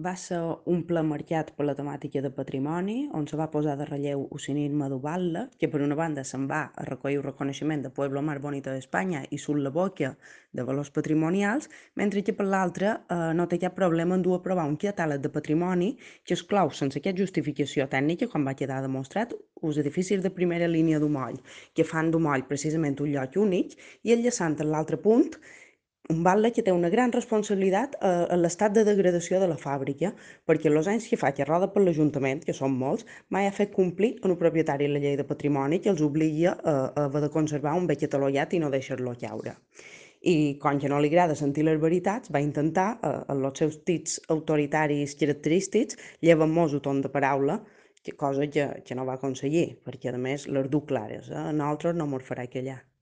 Va ser un ple marcat per la temàtica de patrimoni, on se va posar de relleu el cinisme d'Ubalda, que per una banda se'n va a recollir el reconeixement de Pueblo más bonito d'Espanya i surt la boca de valors patrimonials, mentre que per l'altra no té cap problema en dur a provar un catàleg de patrimoni que exclou, sense cap justificació tècnica, com va quedar demostrat, els edificis de primera línia d'Humoll, que fan d'Humoll precisament un lloc únic, i enllaçant en l'altre punt, un batlle que té una gran responsabilitat en l'estat de degradació de la fàbrica, perquè els anys que fa que roda per l'Ajuntament, que són molts, mai ha fet complir en el propietari la llei de patrimoni que els obliga a haver de conservar un bé catalogat i no deixar-lo caure. I com que no li agrada sentir les veritats, va intentar, en els seus tits autoritaris característics, llevar-nos un ton de paraula, cosa que no va aconseguir, perquè a més les du clares, a nosaltres no mos farà callar.